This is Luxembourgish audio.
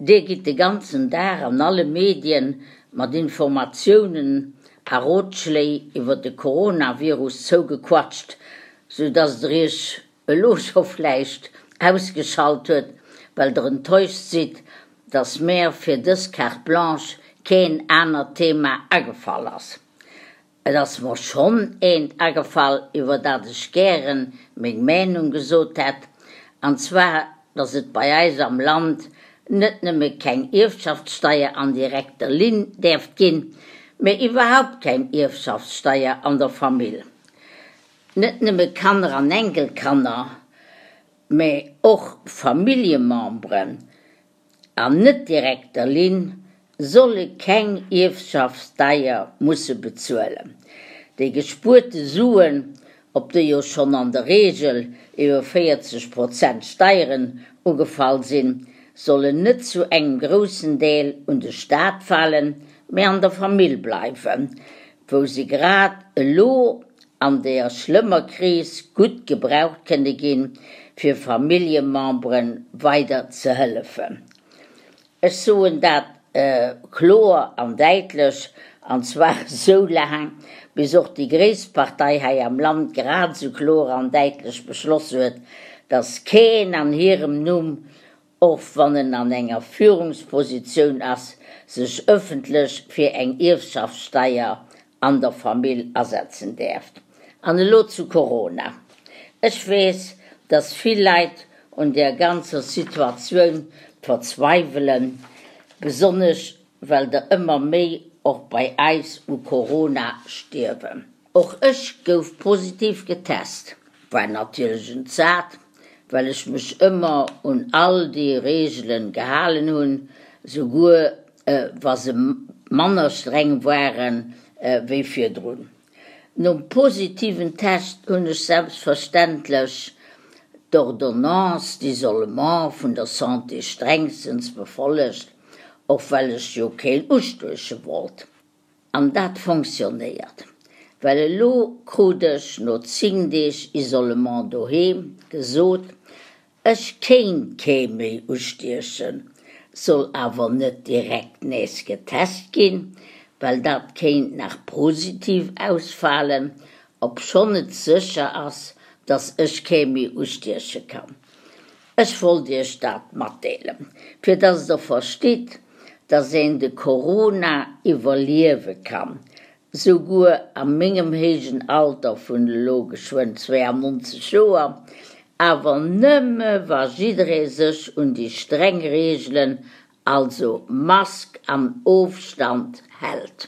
Dir gitt de ganzen Dag an alle Medien mat Informatiounen a Rotschléi iwwer de Coronavirus zougequatscht, sou dass der iech elo scho vläicht ausgeschalt huet, well der enttäuscht sidd, dass mär fir dës Carte Blanche keen anert Thema agefall ass. Et ass mer schonn eent agefall, iwwer dat ech gären meng Meenung gesot hätt, an zwar, dass et bei eis am Land net nëmme keng Ierfschaftssteier an direkter Linn däerft ginn, mä iwwerhaupt keng Ierfschaftssteier an der Famill. Net nëmme Kanner an Enkelkanner, mä och Familljememberen an net direkter Linn solle keng Ierfschaftssteier musse bezuelen. Déi gespuerte Suen, op déi jo schonn an der Reegel iwwer 40 Prozent Steieren ugefall sinn, sollen net zu engem groussen Deel un de Staat falen, mä an der Famill bleiwen, wou se grad elo an deer schlëmmer Kris gutt gebraucht kënne ginn, fir Familljemembere weider ze hëllefen. Ech soen dat kloer an däitlech, an zwar esou laang, bis och déi gréisst Partei hei am Land grad esou kloer an däitlech beschloss huet, dass keen an hirem Numm, och wann en an enger Führungspositioun ass, sech ëffentlech fir eng Ierfschaftssteier an der Famill asetzen däerft. An elo zu Corona. Ech weess, dass vill Leit un där ganzer Situatioun verzweiwelen, besonnesch well der ëmmer méi och bei eis u Corona stierwen. Och ech gouf positiv getest, war natierlech entsat, well ech mech ëmmer un all déi Reegelen gehalen hunn, souguer wa se manner streng waren wéi virdrun. Nom positiven Test hunn ech selbstverständlech d'Ordonnance d'isolement vun der Santé strengstens befollegt, och well ech jo keen ustueche wollt. An dat fonctionnéiert, well elo krut ech no 10 Deeg Isolement doheem gesot, ech kéint kee méi ustiechen, soll awer net direkt nees getest ginn, well dat kéint nach positiv ausfalen, obschonn et sécher ass, dass ech kee méi ustieche kann. Ech wollt iech dat matdeelen, fir dass der verstitt, dass een de Corona iwwerliewe kann, souguer a mengem héijen Alter vun elo geschwënn 92 Joer, awer nëmme wa jidderee sech un déi streng Reegelen, also Mask an Ofstand, hält.